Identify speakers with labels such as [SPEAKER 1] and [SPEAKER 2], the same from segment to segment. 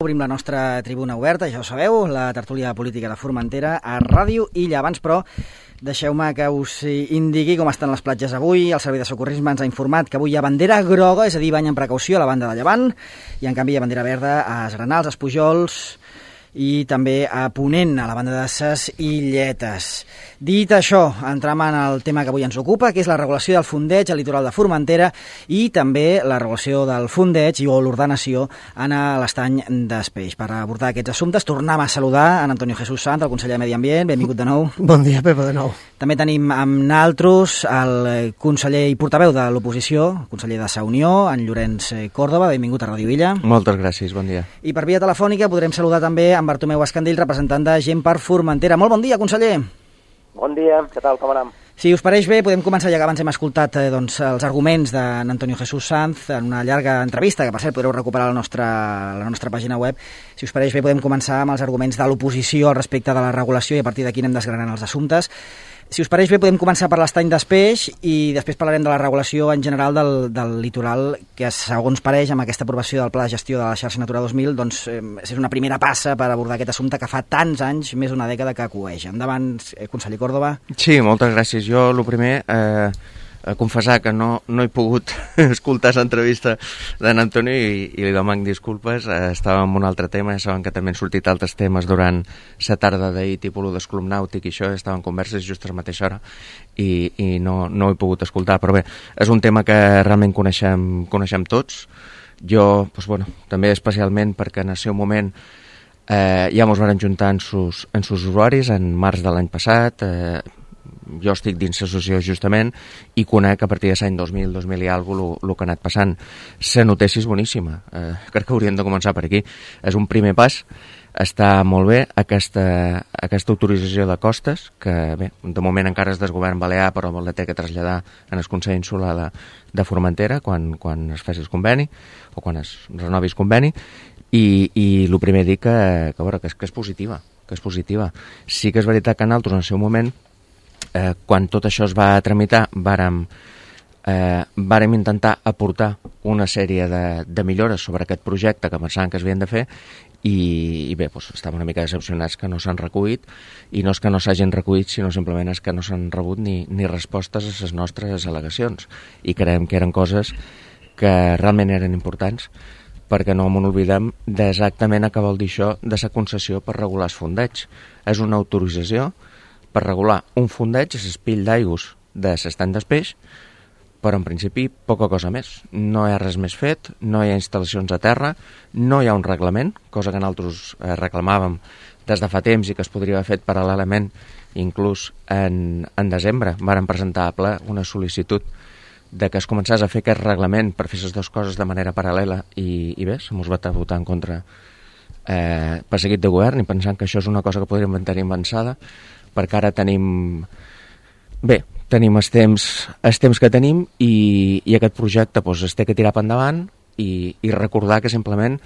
[SPEAKER 1] Obrim la nostra tribuna oberta, ja ho sabeu, la tertúlia política de Formentera a Ràdio Illa. Abans, però, deixeu-me que us indiqui com estan les platges avui. El Servei de Socorrisme ens ha informat que avui hi ha bandera groga, és a dir, bany amb precaució a la banda de Llevant, i en canvi hi ha bandera verda a Esgranals, a Espujols i també a Ponent, a la banda de Ses Illetes. Dit això, entrem en el tema que avui ens ocupa, que és la regulació del fondeig al litoral de Formentera i també la regulació del fondeig o l'ordenació en l'estany d'Espeix. Per abordar aquests assumptes, tornem a saludar en Antonio Jesús Sanz, el conseller de Medi Ambient. Benvingut de nou.
[SPEAKER 2] Bon dia, Pepa, de nou.
[SPEAKER 1] També tenim amb naltros el conseller i portaveu de l'oposició, el conseller de Sa Unió, en Llorenç Córdoba. Benvingut a Ràdio Illa.
[SPEAKER 3] Moltes gràcies, bon dia.
[SPEAKER 1] I per via telefònica podrem saludar també en Bartomeu Escandell, representant de Gent per Formentera. Molt bon dia, conseller.
[SPEAKER 4] Bon dia, què tal, com anem?
[SPEAKER 1] Si us pareix bé, podem començar, ja que abans hem escoltat els arguments d'Antonio Jesús Sanz en una llarga entrevista, que per cert podreu recuperar a la nostra pàgina web. Si us pareix bé, podem començar amb els arguments de l'oposició al respecte de la regulació i a partir d'aquí anem desgranant els assumptes. Si us pareix bé, podem començar per l'estany d'Espeix i després parlarem de la regulació en general del litoral, que segons pareix amb aquesta aprovació del Pla de Gestió de la Xarxa Natura 2000, doncs és una primera passa per abordar aquest assumpte que fa tants anys, més d'una dècada, que acueix. Endavant, conseller Córdoba.
[SPEAKER 3] Sí, moltes gràcies. Jo, el primer, confessar que no he pogut escoltar l'entrevista d'en Antonio i li demano disculpes. Estava en un altre tema, ja saben que també han sortit altres temes durant la tarda d'ahir, tipus el d'esclub nàutic i això, estaven converses just a la mateixa hora i no he pogut escoltar, però bé, és un tema que realment coneixem tots. Jo, doncs, bueno, també especialment perquè en el seu moment ja ens van juntar en sus usuaris en març de l'any passat. Jo estic dins l'associació justament i conec a partir de l'any 2000 i alguna cosa el que ha anat passant. La notícia és boníssima, crec que hauríem de començar per aquí. És un primer pas, està molt bé aquesta autorització de costes, que bé, de moment encara és del govern balear, però la té que traslladar en el Consell Insular de Formentera quan es faci el conveni o quan es renovi el conveni, i el primer dir que és positiva, Sí que és veritat que nosaltres en el seu moment, quan tot això es va tramitar, vàrem intentar aportar una sèrie de millores sobre aquest projecte que pensàvem que es havien de fer i bé, doncs, estàvem una mica decepcionats que no s'han recollit, i no és que no s'hagin recollit, sinó simplement és que no s'han rebut ni respostes a les nostres al·legacions, i creiem que eren coses que realment eren importants, perquè no m'ho oblidem d'exactament què vol dir això de la concessió per regular els fondeigs. És una autorització per regular un fondeig a l'espill d'aigües de l'estany d'Espeix, però en principi poca cosa més. No hi ha res més fet, no hi ha instal·lacions a terra, no hi ha un reglament, cosa que nosaltres reclamàvem des de fa temps i que es podria haver fet paral·lelament. Inclús en desembre vàrem presentar a ple una sol·licitud de que es començés a fer aquest reglament per fer les dues coses de manera paral·lela i bé, se mos va votar en contra per seguit de govern, i pensant que això és una cosa que podríem tenir avançada, perquè ara tenim els temps que tenim i aquest projecte doncs, es té que tirar per endavant i recordar que simplement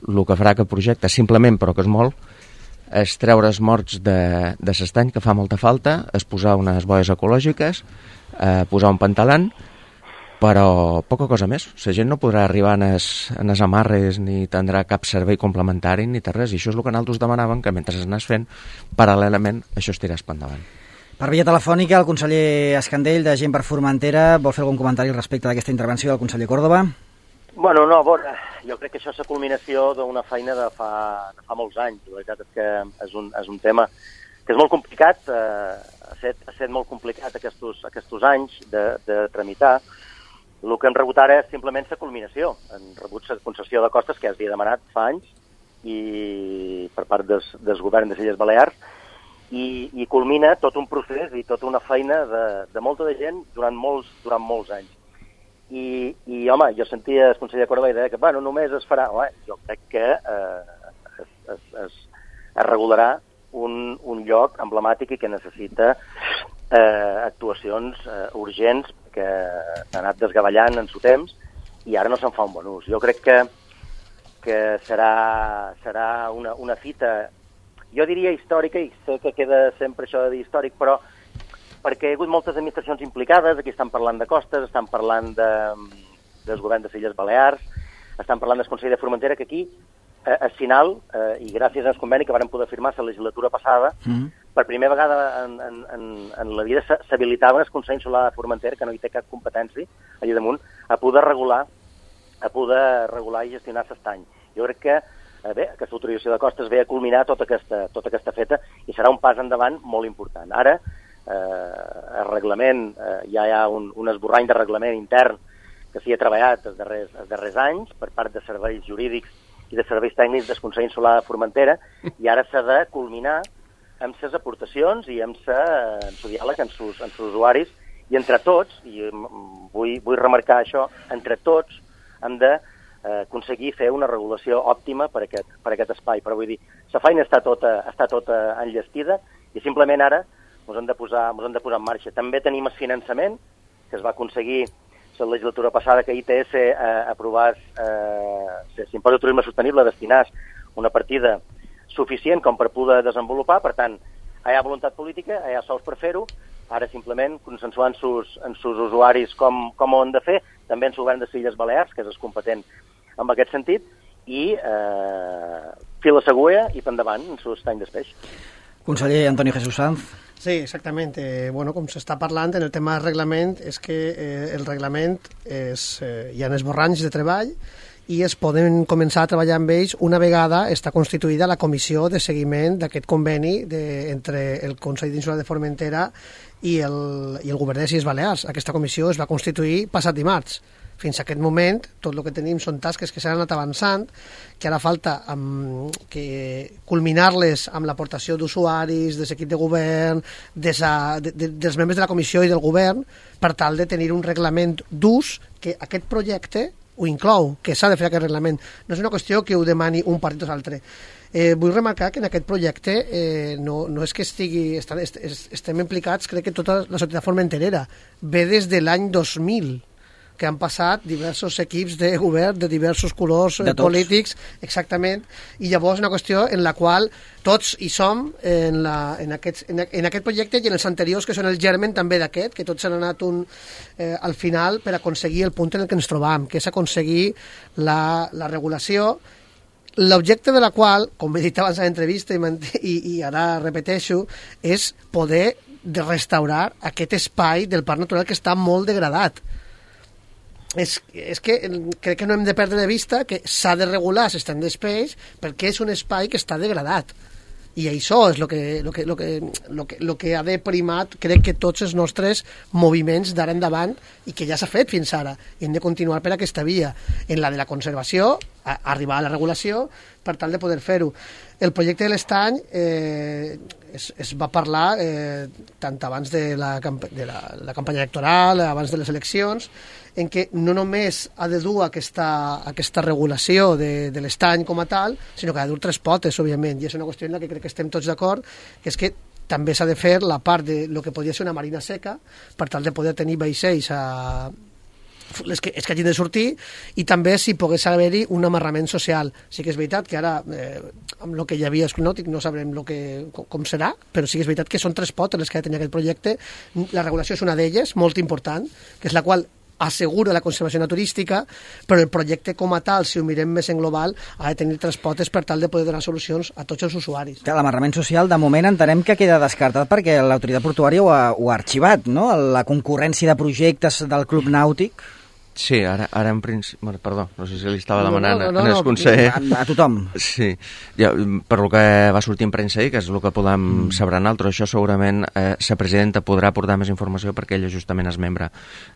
[SPEAKER 3] el que farà aquest projecte, simplement, però que és molt, és treure els morts de l'estany, que fa molta falta, és posar unes boies ecològiques, posar un pantalant, però poca cosa més. La gent no podrà arribar en els amarres ni tindrà cap servei complementari ni res, i això és el que nosaltres demanàvem, que mentre s'anés fent, paral·lelament això es tirés per endavant.
[SPEAKER 1] Per via telefònica, el conseller Escandell, de Gent per Formentera, vol fer algun comentari respecte d'aquesta intervenció del conseller Córdoba?
[SPEAKER 4] Bueno, no, a veure, jo crec que això és la culminació d'una feina de fa molts anys. La veritat és que és un tema que és molt complicat, ha estat molt complicat aquests anys de tramitar. El que hem rebut ara és simplement la culminació. Hem rebut la concessió de costes que ja s'havia demanat fa anys i per part del govern de les Illes Balears, i culmina tot un procés i tota una feina de molta de gent durant molts anys. I home, jo sentia el conseller Córdoba i deia que només es farà. Jo crec que es regularà un lloc emblemàtic i que necessita actuacions urgents, que s'ha anat desgavellant en su temps i ara no se'n fa un bon ús. Jo crec que serà una fita, jo diria històrica, i sé que queda sempre això de dir històric, però perquè hi ha hagut moltes administracions implicades. Aquí estan parlant de costes, estan parlant del govern de les Illes Balears, estan parlant del Consell de Formentera, que aquí al final, i gràcies al conveni que vàrem poder firmar la legislatura passada, per primera vegada en la vida s'habilitava el Consell Insular de Formentera, que no hi té cap competència, allà damunt, a poder regular i gestionar l'estany. Jo crec que aquesta autorització de costes ve a culminar tota aquesta feta i serà un pas endavant molt important. Ara, el reglament, ja hi ha un esborrany de reglament intern que s'hi ha treballat els darrers anys per part de serveis jurídics i de serveis tècnics del Consell Insular de Formentera, i ara s'ha de culminar amb les aportacions i amb el diàleg amb els usuaris, i entre tots, i vull remarcar això, entre tots hem d'aconseguir fer una regulació òptima per aquest espai. Però vull dir, la feina està tota enllestida i simplement ara ens hem de posar en marxa. També tenim el finançament, que es va aconseguir la legislatura passada, que ITS aprovàs l'impost de turisme sostenible, destinàs una partida suficient com per poder desenvolupar. Per tant, hi ha voluntat política, hi ha sous per fer-ho, ara simplement consensuant amb els usuaris com ho han de fer, també en el govern de les Illes Balears, que és el competent en aquest sentit, i fil a l'agulla i per endavant en l'estany del peix.
[SPEAKER 1] Conseller Antonio Jesús Sanz.
[SPEAKER 2] Sí, exactament. Bueno, com s'està parlant en el tema del reglament, és que el reglament hi ha esborranys de treball i es poden començar a treballar amb ells una vegada està constituïda la comissió de seguiment d'aquest conveni entre el Consell Insular de Formentera i el Govern de les Illes Balears. Aquesta comissió es va constituir passat dimarts. Fins a aquest moment, tot el que tenim són tasques que s'han anat avançant, que ara falta culminar-les amb l'aportació d'usuaris, de l'equip de govern, dels membres de la comissió i del govern, per tal de tenir un reglament d'ús que aquest projecte ho inclou, que s'ha de fer aquest reglament. No és una qüestió que ho demani un partit o l'altre. Vull remarcar que en aquest projecte no és que estem implicats, crec que tota la societat formenterera. Ve des de l'any 2000, que han passat diversos equips de govern de diversos colors polítics, exactament, i llavors una qüestió en la qual tots hi som en aquest projecte i en els anteriors, que són el germen també d'aquest, que tots han anat al final per aconseguir el punt en el que ens trobam, que és aconseguir la regulació, l'objecte de la qual, com he dit abans a l'entrevista i ara repeteixo, és poder restaurar aquest espai del parc natural que està molt degradat. És que crec que no hem de perdre de vista que s'ha de regular l'estany d'espais perquè és un espai que està degradat, i això és el que ha de primar, crec que tots els nostres moviments d'ara endavant, i que ja s'ha fet fins ara, i hem de continuar per aquesta via, en la de la conservació, arribar a la regulació per tal de poder fer-ho. El projecte de l'estany es va parlar tant abans de la campanya electoral, abans de les eleccions, en què no només ha de dur aquesta regulació de l'estany com a tal, sinó que ha de dur tres potes, òbviament, i és una qüestió en la que crec que estem tots d'acord, que és que també s'ha de fer la part de lo que podria ser una marina seca, per tal de poder tenir vaixells els que hagin de sortir, i també si pogués haver-hi un amarrament social. Sí que és veritat que ara, amb el que hi havia escnòtic, no sabrem com serà, però sí que és veritat que són tres potes les que ha de tenir aquest projecte. La regulació és una d'elles, molt important, que és la qual assegura la conservació naturística, però el projecte com a tal, si ho mirem més en global, ha de tenir tres potes per tal de poder donar solucions a tots els usuaris.
[SPEAKER 1] L'amarrament social, de moment, entenem que queda descartat perquè l'autoritat portuària ho ha arxivat, no? La concurrència de projectes del Club Nàutic.
[SPEAKER 3] Sí, ara en principi... Perdó, no sé si li estava demanant al conseller.
[SPEAKER 1] A tothom.
[SPEAKER 3] Sí, per lo que va sortir en premsa ahir, que és el que podem saber nosaltres, això segurament la presidenta podrà aportar més informació perquè ella justament és membre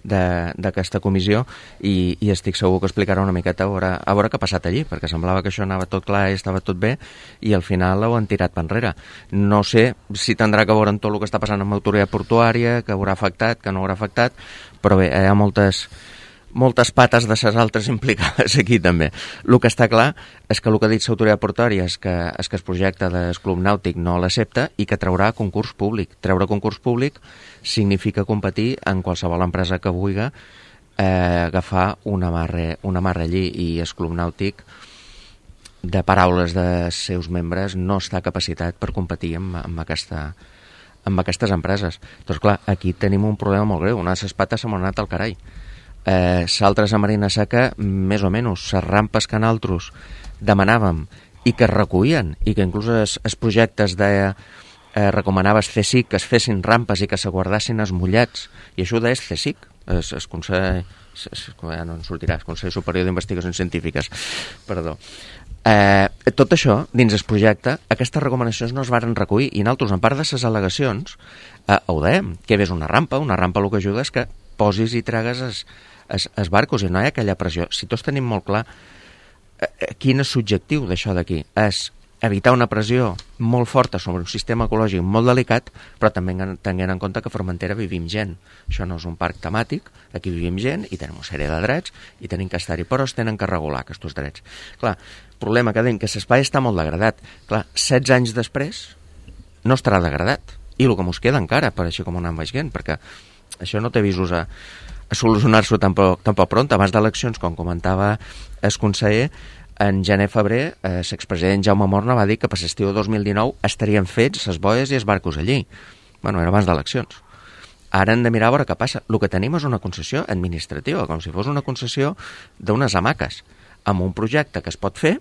[SPEAKER 3] d'aquesta comissió i estic segur que explicarà una miqueta a veure què ha passat allí, perquè semblava que això anava tot clar i estava tot bé i al final ho han tirat per enrere. No sé si tindrà que veure amb tot el que està passant amb l'autoritat portuària, que haurà afectat, que no haurà afectat, però bé, hi ha moltes pates de ses altres implicades aquí també. El que està clar és que el que ha dit l'autoritat portuària és que el projecte del Club Nàutic no l'accepta i que traurà concurs públic. Treure concurs públic significa competir en qualsevol empresa que vulgui agafar una amarra allí, i el Club Nàutic, de paraules dels seus membres, no està capacitat per competir amb aquestes empreses. Doncs clar, aquí tenim un problema molt greu. Una de les pates se m'ha anat al carai. S'altres a marina seca, més o menys, les rampes que nosaltres demanàvem i que es recollien, i que inclús els projectes recomanava el CSIC que es fessin rampes i que se guardassin els mullats, i això ho deia el CSIC, el Consell, ja no en sortirà, el Consell Superior d'Investigacions Científiques, perdó. Tot això, dins el projecte, aquestes recomanacions no es varen recollir, i nosaltres, en part de les al·legacions, ho dèiem, que hi hagués una rampa el que ajuda és que posis i tregues els barcos, i no hi ha aquella pressió. Si tots tenim molt clar quin és l'objectiu d'això d'aquí, és evitar una pressió molt forta sobre un sistema ecològic molt delicat, però també tenint en compte que a Formentera vivim gent. Això no és un parc temàtic, aquí vivim gent i tenim una sèrie de drets i tenim que estar-hi, però es tenen que regular aquests drets. Clar, el problema que tenim que l'espai està molt degradat. Clar, 16 anys després no estarà degradat. I el que mos queda encara, per així com anem veient, perquè això no té visos a solucionar-s'ho tampoc pront. Abans d'eleccions, com comentava el conseller, en gener-febrer, l'expresident Jaume Morna va dir que per l'estiu 2019 estarien fets les boies i els barcos allí. Bueno, era abans d'eleccions. Ara hem de mirar a veure què passa. El que tenim és una concessió administrativa, com si fos una concessió d'unes hamaques, amb un projecte que es pot fer,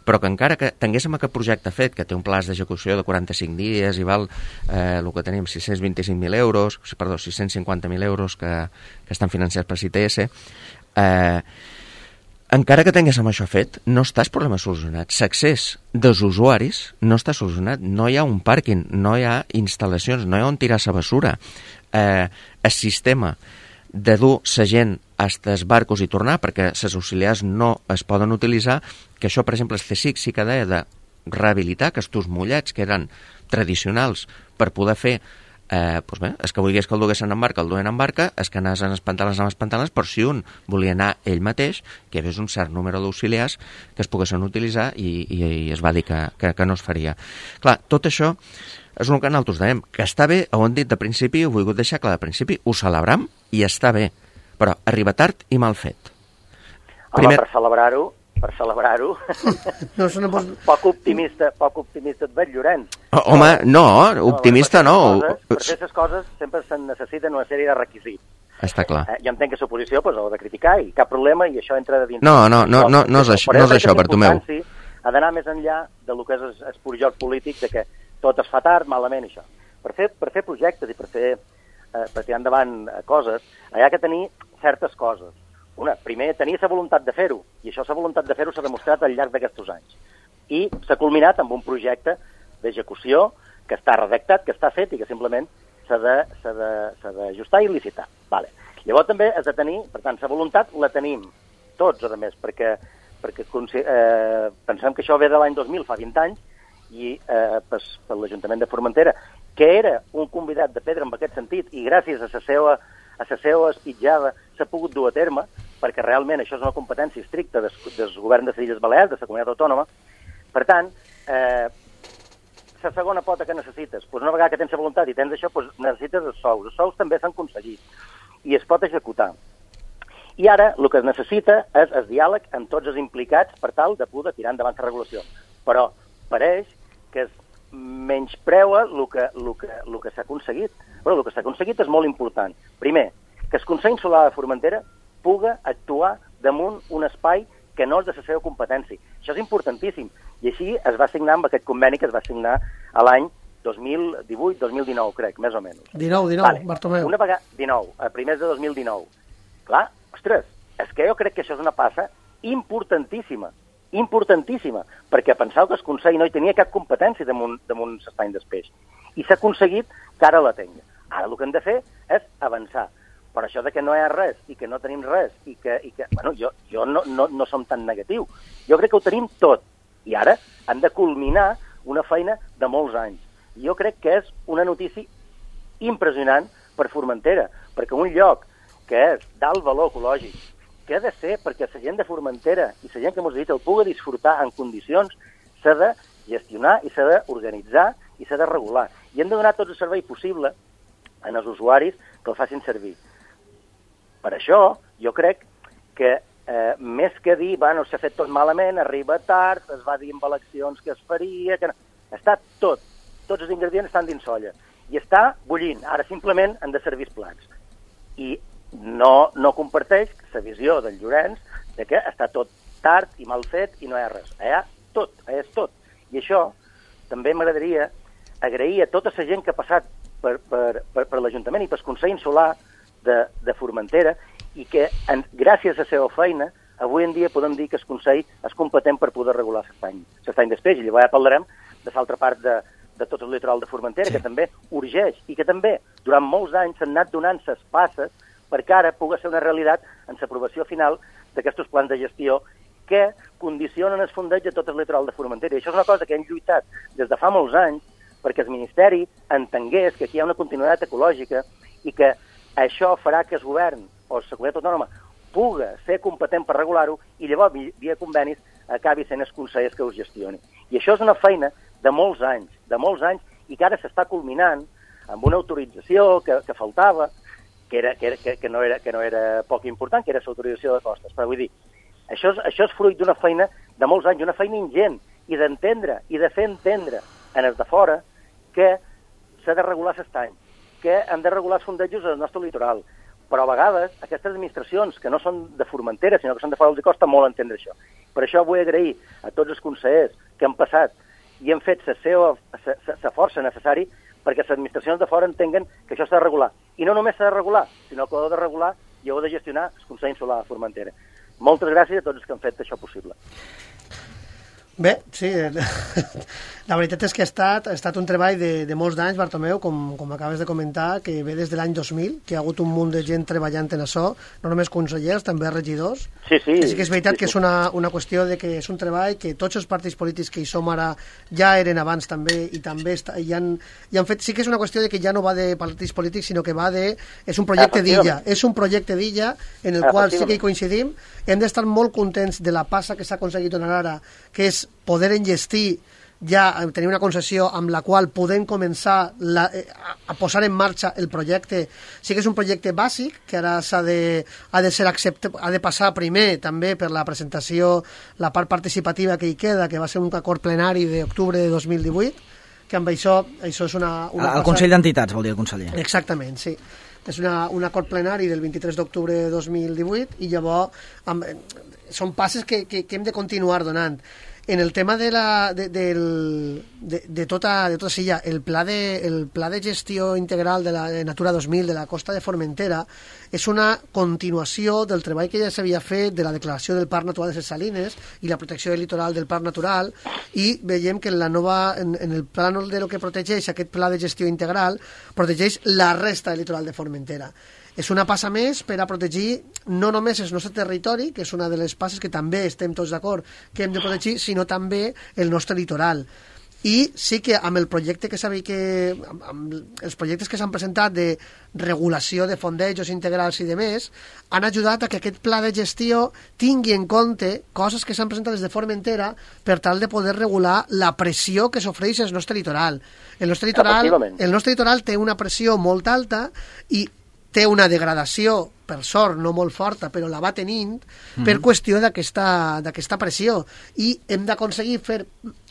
[SPEAKER 3] però que encara que tinguéssim aquest projecte fet, que té un plaç d'execució de 45 dies i val el que tenim 625.000 euros, perdó, 650.000 euros que estan financiats per CITS, encara que tinguéssim això fet, no està el problema solucionat. L'accés dels usuaris no està solucionat. No hi ha un pàrquing, no hi ha instal·lacions, no hi ha on tirar la bessura. El sistema de dur la gent fins als barcos i tornar, perquè les auxiliars no es poden utilitzar, que això, per exemple, el CSIC sí que deia de rehabilitar aquests mullats que eren tradicionals per poder fer doncs bé, els que volgués que el duguessin en barca, el duen en barca, els que anaven en els pantalons, però si un volia anar ell mateix, que hi hagués un cert número d'auxiliars que es poguessin utilitzar i es va dir que no es faria. Clar, tot això és el que nosaltres dèiem, que està bé, ho hem dit de principi, ho he volgut deixar clar de principi, ho celebram i està bé, però arriba tard i mal fet.
[SPEAKER 4] Home, per celebrar-ho,
[SPEAKER 2] no,
[SPEAKER 4] poc optimista et veig, Llorenç.
[SPEAKER 3] Home, no, optimista no.
[SPEAKER 4] Per fer aquestes coses sempre se'n necessiten una sèrie de requisits.
[SPEAKER 3] Està clar.
[SPEAKER 4] Jo entenc que l'oposició ho ha de criticar i cap problema, i això entra de dins.
[SPEAKER 3] No és això, Bartomeu.
[SPEAKER 4] Ha d'anar més enllà del que és el pur joc polític, de que tot es fa tard, malament, això. Per fer projectes i per tirar endavant coses, hi ha que tenir certes coses. Una, primer, tenir la voluntat de fer-ho, i això, la voluntat de fer-ho s'ha demostrat al llarg d'aquests anys. I s'ha culminat amb un projecte d'execució que està redactat, que està fet i que simplement s'ha d'ajustar i licitar. Vale. Llavors també has de tenir, per tant, la voluntat la tenim tots, a més, perquè pensem que això ve de l'any 2000, fa 20 anys, i per l'Ajuntament de Formentera, que era un convidat de pedra en aquest sentit, i gràcies a la seva espitjada s'ha pogut dur a terme, perquè realment això és una competència estricta del govern de les Illes Balears, de la comunitat autònoma. Per tant, la segona pota que necessites, una vegada que tens la voluntat i tens això, necessites els sous. Els sous també s'han aconseguit i es pot executar. I ara el que es necessita és el diàleg amb tots els implicats per tal de poder tirar endavant la regulació. Però pareix que es menyspreua el que s'ha aconseguit. Però el que s'ha aconseguit és molt important. Primer, que el Consell Insular de Formentera puga actuar damunt un espai que no és de la seva competència. Això és importantíssim. I així es va signar amb aquest conveni que es va signar a l'any 2018-2019, crec, més o menys.
[SPEAKER 2] 19, vale. Bartomeu.
[SPEAKER 4] Una vegada, 19, a primers de 2019. Clar, ostres, és que jo crec que això és una passa importantíssima, perquè penseu que el Consell no hi tenia cap competència damunt l'estany d'espeix. I s'ha aconseguit que ara la tingui. Ara el que hem de fer és avançar. Però això de que no hi ha res i que no tenim res i que bueno, jo no som tan negatiu. Jo crec que ho tenim tot. I ara hem de culminar una feina de molts anys. I jo crec que és una notícia impressionant per Formentera, perquè un lloc que és d'alt valor ecològic, que ha de ser perquè la gent de Formentera i la gent que ens visita el pugui disfrutar en condicions, s'ha de gestionar i s'ha d'organitzar i s'ha de regular. I hem de donar tot el servei possible als usuaris que el facin servir. Per això, jo crec que més que dir, bueno, s'ha fet tot malament, arriba tard, es va dir amb eleccions que es faria, que no... Està tot. Tots els ingredients estan dins solla. I està bullint. Ara simplement han de servir els plats. I no comparteix la visió del Llorenç de que està tot tard i mal fet i no hi ha res. Allà és tot. I això també m'agradaria agrair a tota la gent que ha passat per l'Ajuntament i pel Consell Insular de Formentera i que, gràcies a la seva feina, avui en dia podem dir que el Consell és competent per poder regular l'estany després. I llavors ja parlarem de l'altra part de tot el litoral de Formentera, que també urgeix i que també durant molts anys s'han anat donant les passes perquè ara pugui ser una realitat en l'aprovació final d'aquests plans de gestió que condicionen el fondeig de tot el litoral de Formentera. I això és una cosa que hem lluitat des de fa molts anys perquè el Ministeri entengués que aquí hi ha una continuïtat ecològica i que això farà que el govern o la comunitat autònoma pugui ser competent per regular-ho i llavors, via convenis, acabi sent els consells que ho gestioni. I això és una feina de molts anys, i que ara s'està culminant amb una autorització que faltava, que no era poc important, que era l'autorització de costes. Però vull dir, això és fruit d'una feina de molts anys, una feina ingent, i d'entendre, i de fer entendre en els de fora que s'ha de regular l'estany, que hem de regular els fondejos del nostre litoral. Però a vegades aquestes administracions, que no són de Formentera, sinó que són de fora els costa molt entendre això. Per això vull agrair a tots els consellers que han passat i han fet la força necessària perquè les administracions de fora entenguen que això s'ha de regular. I no només s'ha de regular, sinó que ho ha de regular i ho ha de gestionar el Consell Insular de Formentera. Moltes gràcies a tots els que han fet això possible.
[SPEAKER 2] Bé, sí, la veritat és que ha estat un treball de molts d'anys, Bartomeu, com acabes de comentar, que ve des de l'any 2000, que hi ha hagut un munt de gent treballant en això, no només consellers, també regidors.
[SPEAKER 4] Sí.
[SPEAKER 2] I sí que és veritat que és una qüestió de que és un treball que tots els partits polítics que hi som ara ja eren abans també, i també hi han fet... Sí que és una qüestió de que ja no va de partits polítics, sinó que va de... És un projecte d'illa. És un projecte d'illa en el qual sí que hi coincidim. Hem d'estar molt contents de la passa que s'ha aconseguit donar ara, que és poder enllestir ja tenir una concessió amb la qual podem començar a posar en marxa el projecte. Sí que és un projecte bàsic que ara ha de ser acceptat, ha de passar primer també per la presentació, la part participativa que hi queda, que va ser un acord plenari d'octubre de 2018, que amb això és una
[SPEAKER 1] el Consell d'Entitats, vol dir el conseller.
[SPEAKER 2] Exactament, sí. És un acord plenari del 23 d'octubre de 2018 i llavors són passes que hem de continuar donant. En el tema de tota Silla, el pla de gestió integral de la Natura 2000 de la costa de Formentera és una continuació del treball que ja s'havia fet de la declaració del Parc Natural de les Salines i la protecció del litoral del Parc Natural, i veiem que en el pla de lo que protegeix aquest pla de gestió integral protegeix la resta del litoral de Formentera. És una passa més per a protegir no només el nostre territori, que és una de les passes que també estem tots d'acord que hem de protegir, sinó també el nostre litoral. I sí que amb el projecte amb els projectes que s'han presentat de regulació de fondejos integrals i demés, han ajudat a que aquest pla de gestió tingui en compte coses que s'han presentat des de Formentera per tal de poder regular la pressió que s'ofereix al nostre litoral. El nostre litoral té una pressió molt alta i té una degradació, per sort, no molt forta, però la va tenint per qüestió d'aquesta pressió. I hem d'aconseguir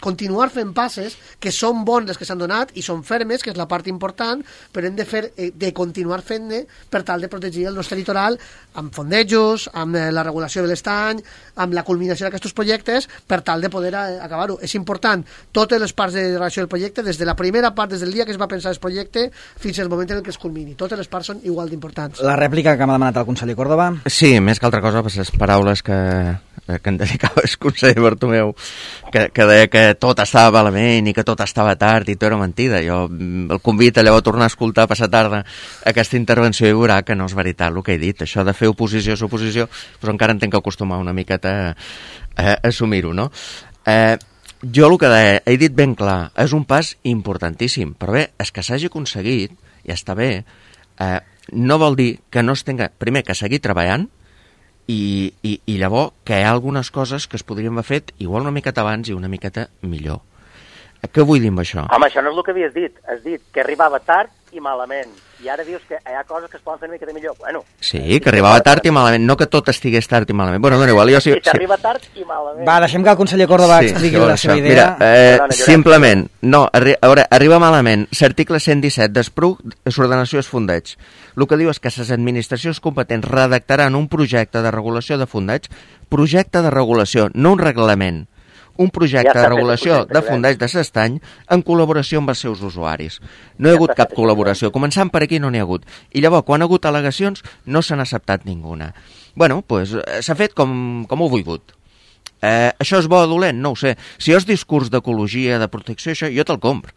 [SPEAKER 2] continuar fent passes que són bons les que s'han donat i són fermes, que és la part important, però hem de continuar fent-ne per tal de protegir el nostre litoral amb fondejos, amb la regulació de l'estany, amb la culminació d'aquests projectes, per tal de poder acabar-ho. És important totes les parts de relació del projecte, des de la primera part, des del dia que es va pensar el projecte, fins al moment en què es culmini. Totes les parts són igual d'importants.
[SPEAKER 1] La rèplica que m'ha demanat el conseller Córdoba.
[SPEAKER 3] Sí, més que altra cosa, les paraules que em dedicava el conseller Bartomeu, que deia que tot estava malament i que tot estava tard i tot era mentida. Jo el convido a llavors a tornar a escoltar a passar tarda aquesta intervenció i veurà que no és veritat el que he dit. Això de fer oposició és oposició, però encara em tenc que acostumar una miqueta a assumir-ho, no? Jo el que deia, he dit ben clar, és un pas importantíssim, però bé, és que s'hagi aconseguit, ja està bé, no vol dir que no es tenga, primer, que seguir treballant i llavors que hi ha algunes coses que es podrien haver fet igual una miqueta abans i una miqueta millor. Què vull dir amb això?
[SPEAKER 4] Home, això no és el que havies dit. Has dit que arribava tard i malament. I ara dius que hi ha coses que es poden fer una mica de millor. Bueno,
[SPEAKER 3] sí, que arribava tard i malament, no que tot estigués tard i malament. Bueno, dona igual, jo sí...
[SPEAKER 4] que arriba tard i malament.
[SPEAKER 1] Va, deixem que el conseller Córdoba expliqui la seva idea.
[SPEAKER 3] Mira, simplement, no, arriba malament. L'article 117 d'ESPRUC, l'ordenació és fondeig. El que diu és que les administracions competents redactaran un projecte de regulació de fondeig, projecte de regulació, no un reglament. Un projecte de regulació de fondeig de l'estany en col·laboració amb els seus usuaris. No hi ha hagut cap col·laboració. Començant per aquí no n'hi ha hagut. I llavors, quan ha hagut al·legacions, no s'han acceptat ninguna. Bueno, doncs s'ha fet com ho he volgut. Això és bo o dolent? No ho sé. Si és discurs d'ecologia, de protecció, això, jo te'l compro.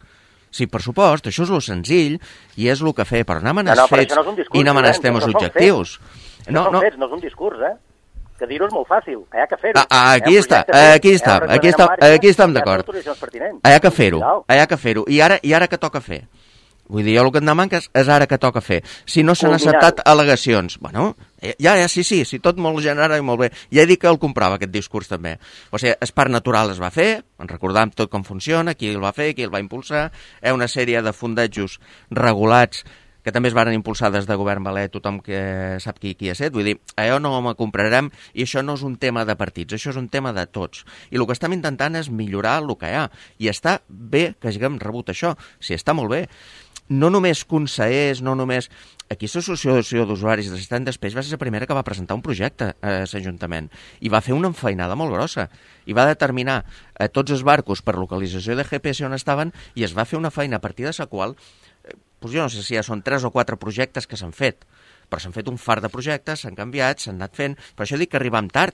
[SPEAKER 3] Sí, per supost, això és lo senzill i és el que fer, però anem als fets i anem als temes objectius.
[SPEAKER 4] No és un discurs, que dir-ho és molt fàcil, hi ha que fer-ho.
[SPEAKER 3] Aquí estem d'acord. Hi ha que fer-ho. I ara què toca fer? Vull dir, jo el que et demano és ara que toca fer. Si no s'han acceptat al·legacions, bueno, sí, tot molt general i molt bé. Ja he dit que el comprava, aquest discurs també. O sigui, el parc natural es va fer, en recordàvem tot com funciona, qui el va fer, qui el va impulsar, hi ha una sèrie de fondejos regulats que també es van impulsar des de govern valer, tothom que sap qui ha set. Vull dir, allò no m'ho comprarem i això no és un tema de partits, això és un tema de tots. I el que estem intentant és millorar el que hi ha. I està bé que haguem rebut això, sí, està molt bé. No només consellers, no només... Aquí l'associació d'usuaris de l'Estany d'Espeix va ser la primera que va presentar un projecte a l'Ajuntament i va fer una enfeinada molt grossa i va determinar tots els barcos per localització de GPS on estaven i es va fer una feina a partir de la qual jo no sé si ja són 3 o 4 projectes que s'han fet, però s'han fet un fart de projectes, s'han canviat, s'han anat fent, per això dic que arribam tard.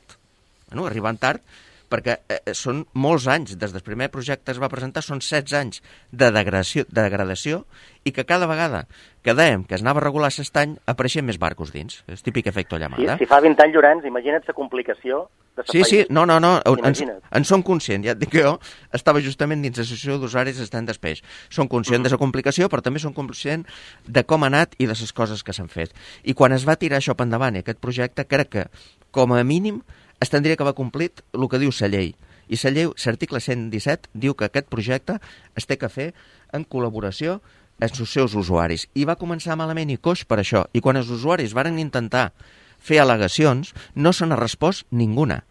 [SPEAKER 3] Bueno, arribam tard perquè són molts anys, des del primer projecte es va presentar, són 16 anys de degradació i que cada vegada que dèiem que es anava a regular l'estany, apareixien més barcos dins. És típic efecte llamada.
[SPEAKER 4] Si fa 20 anys, Llorenç, imagina't la complicació de la
[SPEAKER 3] Sí, no, en som conscients. Ja et dic que jo estava justament dins l'associació d'usuaris d'Estany d'Espeix. Som conscients de la complicació, però també som conscients de com ha anat i de les coses que s'han fet. I quan es va tirar això per endavant i aquest projecte, crec que, com a mínim, es tindria que haver complit el que diu la llei. I la llei, l'article 117, diu que aquest projecte es té que fer en col·laboració amb els seus usuaris. I va començar malament i coix per això. I quan els usuaris varen intentar fer al·legacions, no se n'ha respost ninguna.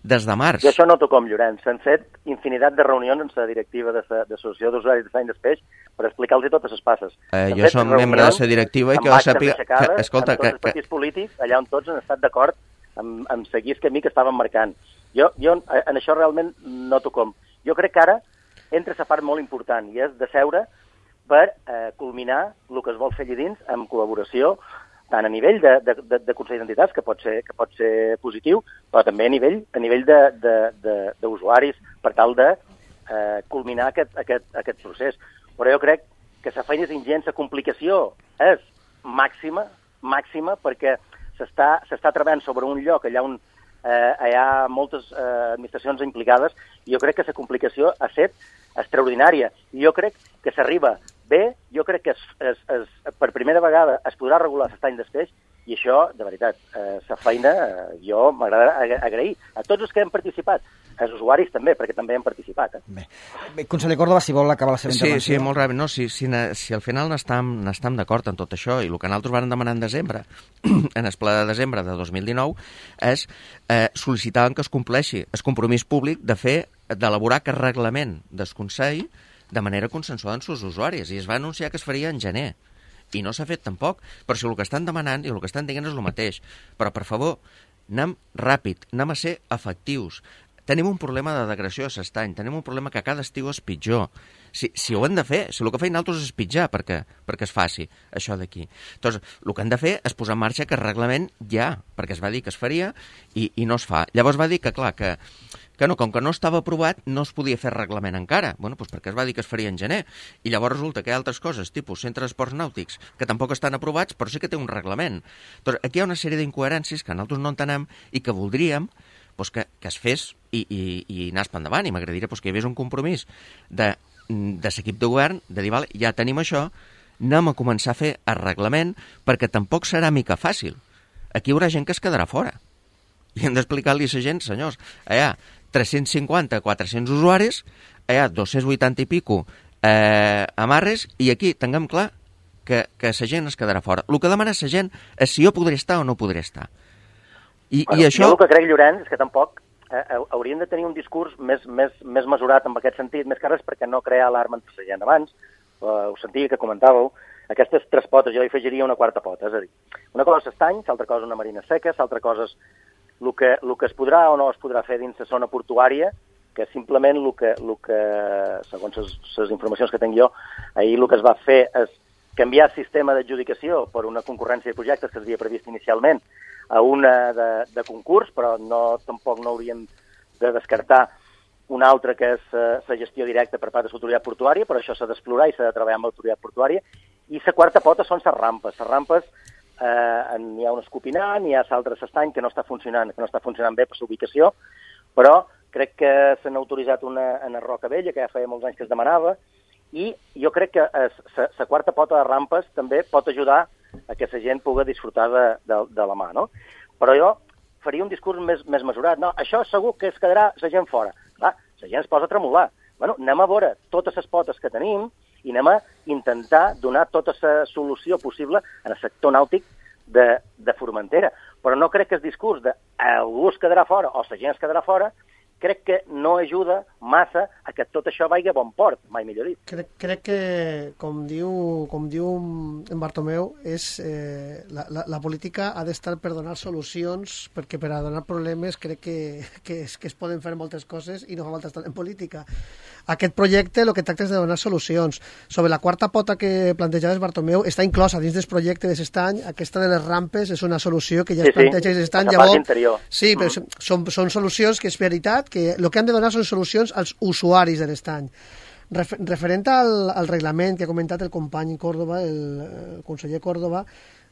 [SPEAKER 3] Des de març.
[SPEAKER 4] I això no com Llorenç. S'han fet infinitat de reunions amb la directiva de l'Associació d'Usuaris d'Estany d'Espeix per explicar-los totes les passes.
[SPEAKER 3] Jo som membre de la directiva i que jo sàpiga...
[SPEAKER 4] Escolta, amb tots els partits polítics, allà on tots han estat d'acord amb seguir el camí que estàvem marcant. Jo en això realment no com. Jo crec que ara entra la part molt important i és de seure per culminar el que es vol fer allà dins amb col·laboració tant a nivell de Consell d'Entitats, que pot ser positiu, però també a nivell d'usuaris per tal de culminar aquest procés. Però jo crec que la feina és ingent, la complicació és màxima perquè s'està treballant sobre un lloc allà on hi ha moltes administracions implicades i jo crec que la complicació ha estat extraordinària. I jo crec que s'arriba bé, jo crec que per primera vegada es podrà regular l'estany d'Espeix i això, de veritat, la feina jo m'agrada agrair a tots els que hem participat, als usuaris també, perquè també hem participat.
[SPEAKER 1] Bé, conseller Córdoba, si vol acabar la seva intervenció.
[SPEAKER 3] Sí, molt ràpid. No, si al final n'estem d'acord en tot això i el que nosaltres vam demanar en desembre, en el ple de desembre de 2019, és sol·licitaven que es compleixi el compromís públic d'elaborar aquest reglament del Consell de manera consensuada amb els usuaris i es va anunciar que es faria en gener i no s'ha fet tampoc, però si el que estan demanant i el que estan dient és el mateix, però per favor, anem ràpid, anem a ser efectius. Tenim un problema de degradació a l'estany, tenim un problema que cada estiu és pitjor. Si ho hem de fer, si el que feien altres és pitjar perquè es faci això d'aquí. Doncs el que hem de fer és posar en marxa aquest reglament ja, perquè es va dir que es faria i no es fa. Llavors va dir que, clar, que no, com que no estava aprovat, no es podia fer reglament encara. Bueno, doncs perquè es va dir que es faria en gener. I llavors resulta que hi ha altres coses, tipus centres d'esports nàutics, que tampoc estan aprovats, però sí que té un reglament. Doncs aquí hi ha una sèrie d'incoherències que nosaltres no entenem i que voldríem que es fes i anés per endavant. I m'agradaria que hi hagués un compromís de l'equip de govern de dir, vale, ja tenim això, anem a començar a fer el reglament perquè tampoc serà mica fàcil. Aquí hi haurà gent que es quedarà fora. I hem d'explicar-li a la gent, senyors, hi ha 350, 400 usuaris, hi ha 280 i pico amarres, i aquí tinguem clar que la gent es quedarà fora. El que demana la gent és si jo podré estar o no podré estar. I això...
[SPEAKER 4] Jo el que crec, Llorenç, és que tampoc hauríem de tenir un discurs més mesurat en aquest sentit, més que res perquè no crear alarma entre la gent. Abans, ho sentia que comentàveu, aquestes 3 potes, jo hi afegiria una 4ª pota, és a dir, una cosa és estany, l'altra cosa una marina seca, l'altra cosa és el que es podrà o no es podrà fer dins la zona portuària, que simplement el que segons les informacions que tinc jo, ahir el que es va fer és canviar el sistema d'adjudicació per una concurrència de projectes que s'havia previst inicialment a una de concurs, però tampoc no hauríem de descartar una altra que és la gestió directa per part de l'autoritat portuària, però això s'ha d'explorar i s'ha de treballar amb l'autoritat portuària. I la 4ª pota són les rampes. Les rampes, n'hi ha un escopinar, n'hi ha l'altre s'estany que no està funcionant bé per la ubicació, però crec que s'han autoritzat una en Roca Vella, que ja feia molts anys que es demanava, i jo crec que la 4ª pota de rampes també pot ajudar a que la gent pugui disfrutar de la mà, no? Però jo faria un discurs més mesurat. No, això segur que es quedarà la gent fora. Clar, la gent es posa a tremolar. Bueno, anem a veure totes les potes que tenim i anem a intentar donar tota la solució possible en el sector nàutic de Formentera. Però no crec que el discurs de algú es quedarà fora o la gent es quedarà fora crec que no ajuda massa a que tot això vagi a bon port, mai millor dit.
[SPEAKER 2] Crec que, com diu en Bartomeu, la política ha d'estar per donar solucions, perquè per a donar problemes crec que es poden fer moltes coses i no fa falta estar en política. Aquest projecte el que tracta és de donar solucions. Sobre la 4ª pota que plantejaves, Bartomeu, està inclosa dins del projecte de l'estany. Aquesta de les rampes és una solució que ja es planteja dins l'estany. Sí, però són solucions que és veritat que el que han de donar són solucions als usuaris de l'estany. Referent al reglament que ha comentat el company Córdoba, el conseller Córdoba,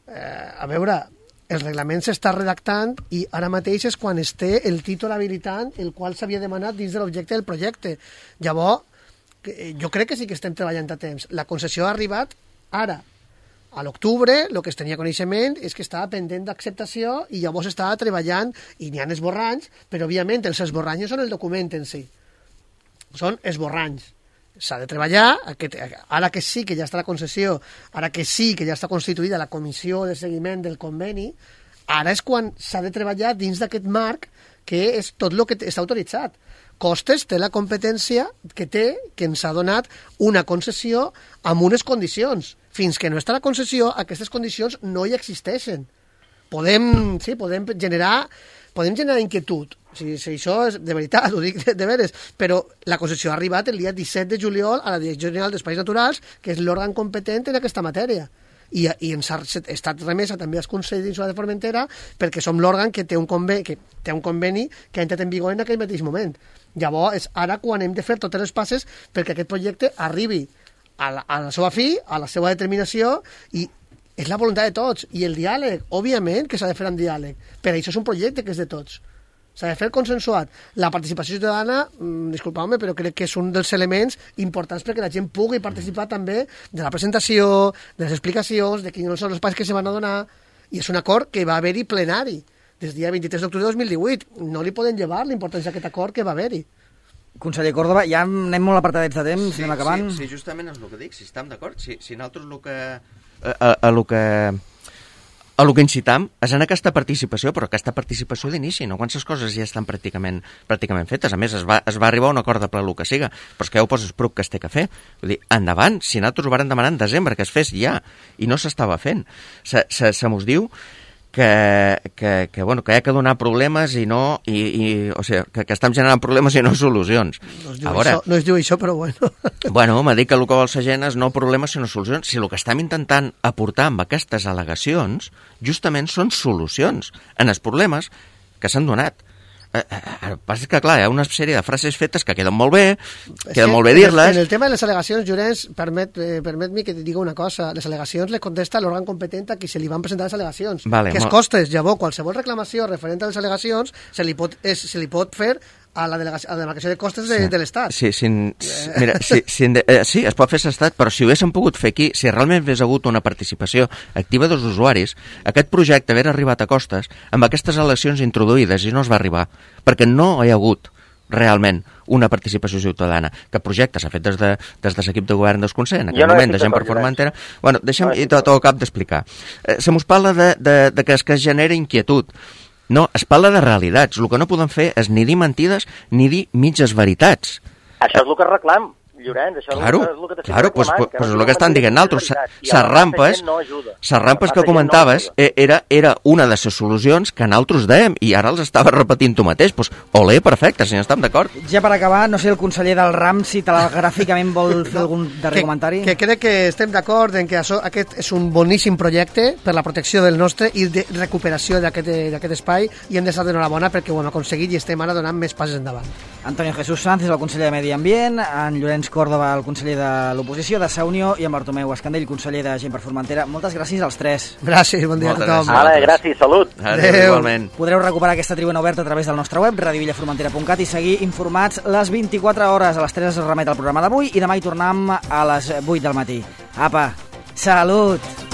[SPEAKER 2] a veure, el reglament s'està redactant i ara mateix és quan es té el títol habilitant el qual s'havia demanat dins de l'objecte del projecte. Llavors, jo crec que sí que estem treballant a temps. La concessió ha arribat ara. A l'octubre, el que es tenia coneixement és que estava pendent d'acceptació i llavors estava treballant i n'hi ha esborranys, però òbviament els esborranys són el document en si. Són esborranys. S'ha de treballar, ara que sí que ja està la concessió, ara que sí que ja està constituïda la comissió de seguiment del conveni, ara és quan s'ha de treballar dins d'aquest marc que és tot el que està autoritzat. Costes té la competència que ens ha donat una concessió amb unes condicions. Fins que no està la concessió, aquestes condicions no hi existeixen. Podem generar inquietud. Si això és de veritat, ho dic de veres, però la concessió ha arribat el dia 17 de juliol a la Direcció General d'Espais Naturals, que és l'òrgan competent en aquesta matèria. I ens ha estat remesa també als Consells d'Insular de Formentera perquè som l'òrgan que té un conveni que ha entrat en vigor en aquell mateix moment. Llavors, és ara quan hem de fer totes les passes perquè aquest projecte arribi a la seva fi, a la seva determinació, i és la voluntat de tots. I el diàleg, òbviament que s'ha de fer amb diàleg, però això és un projecte que és de tots. S'ha de fer consensuat. La participació ciutadana, disculpeu-me, però crec que és un dels elements importants perquè la gent pugui participar també de la presentació, de les explicacions, de quins són els passos que se van a donar, i és un acord que va haver-hi plenari des del dia 23 d'octubre de 2018. No li poden llevar l'importància d'aquest acord que va haver-hi.
[SPEAKER 1] Conseller Córdoba, ja anem molt apartadets de temps, anem acabant.
[SPEAKER 3] Sí, justament és el que dic, si estem d'acord, si nosaltres el que incitam és en aquesta participació, però aquesta participació d'inici, no quan les coses ja estan pràcticament fetes. A més, es va arribar a un acord de ple el que siga, però és que ja ho poses prop que es té que fer. Vull dir, endavant, si nosaltres ho vàrem demanar en desembre, que es fes ja, i no s'estava fent. Se mos diu que hi ha que donar problemes i no... o sigui, que estem generant problemes i no solucions.
[SPEAKER 2] No es diu això, però bueno.
[SPEAKER 3] Bueno, m'ha dit que el que vol la gent és no problemes sinó solucions. Si el que estem intentant aportar amb aquestes al·legacions justament són solucions en els problemes que s'han donat. El que passa és que, clar, hi ha una sèrie de frases fetes que queden molt bé, dir-les...
[SPEAKER 2] En el tema de les al·legacions, Llorenç, permet-me que et diga una cosa. Les al·legacions les contesta l'òrgan competent a qui se li van presentar les al·legacions. Que es costes. Llavors, qualsevol reclamació referent a les al·legacions se li pot fer a la demarcació de costes de l'Estat.
[SPEAKER 3] Sí, es pot fer l'Estat, però si ho haguéssim pogut fer aquí, si realment hagués hagut una participació activa dels usuaris, aquest projecte hagués arribat a costes amb aquestes eleccions introduïdes i no es va arribar, perquè no hi ha hagut realment una participació ciutadana. Que projecte s'ha fet des de l'equip de govern del Consell, en aquest moment, de gent per Formentera. Bueno, deixa'm tot el cap d'explicar. Se mos parla de que es genera inquietud. No, es parla de realitats. El que no podem fer és ni dir mentides ni dir mitges veritats.
[SPEAKER 4] Això és el que reclam, Llorenç, això és el que
[SPEAKER 3] pues és el que estan dient altres. Les rampes que comentaves era una de les solucions que nosaltres dèiem i ara els estava repetint tu mateix. Pues, olé, perfecte, si no estem d'acord.
[SPEAKER 1] Ja per acabar, no sé el conseller del RAM si telegràficament vol fer algun darrer comentari.
[SPEAKER 2] Que crec que estem d'acord en que aquest és un boníssim projecte per la protecció del nostre i de recuperació d'aquest espai i hem d'estar d'enhorabona perquè ho hem aconseguit i estem ara donant més passes endavant.
[SPEAKER 1] Antonio Jesús Sanz és el conseller de Medi Ambient, en Llorenç Córdoba, el conseller de l'oposició de Sa Unió, i en Bartomeu Escandell, conseller de Gent per Formentera. Moltes gràcies als tres.
[SPEAKER 2] Gràcies, bon dia a tothom.
[SPEAKER 4] Gràcies, salut.
[SPEAKER 3] Adéu. Igualment.
[SPEAKER 1] Podreu recuperar aquesta tribuna oberta a través del nostre web, radiovillaformentera.cat, i seguir informats les 24 hores. A les 3 es remet el programa d'avui i demà hi tornem a les 8 del matí. Apa, salut!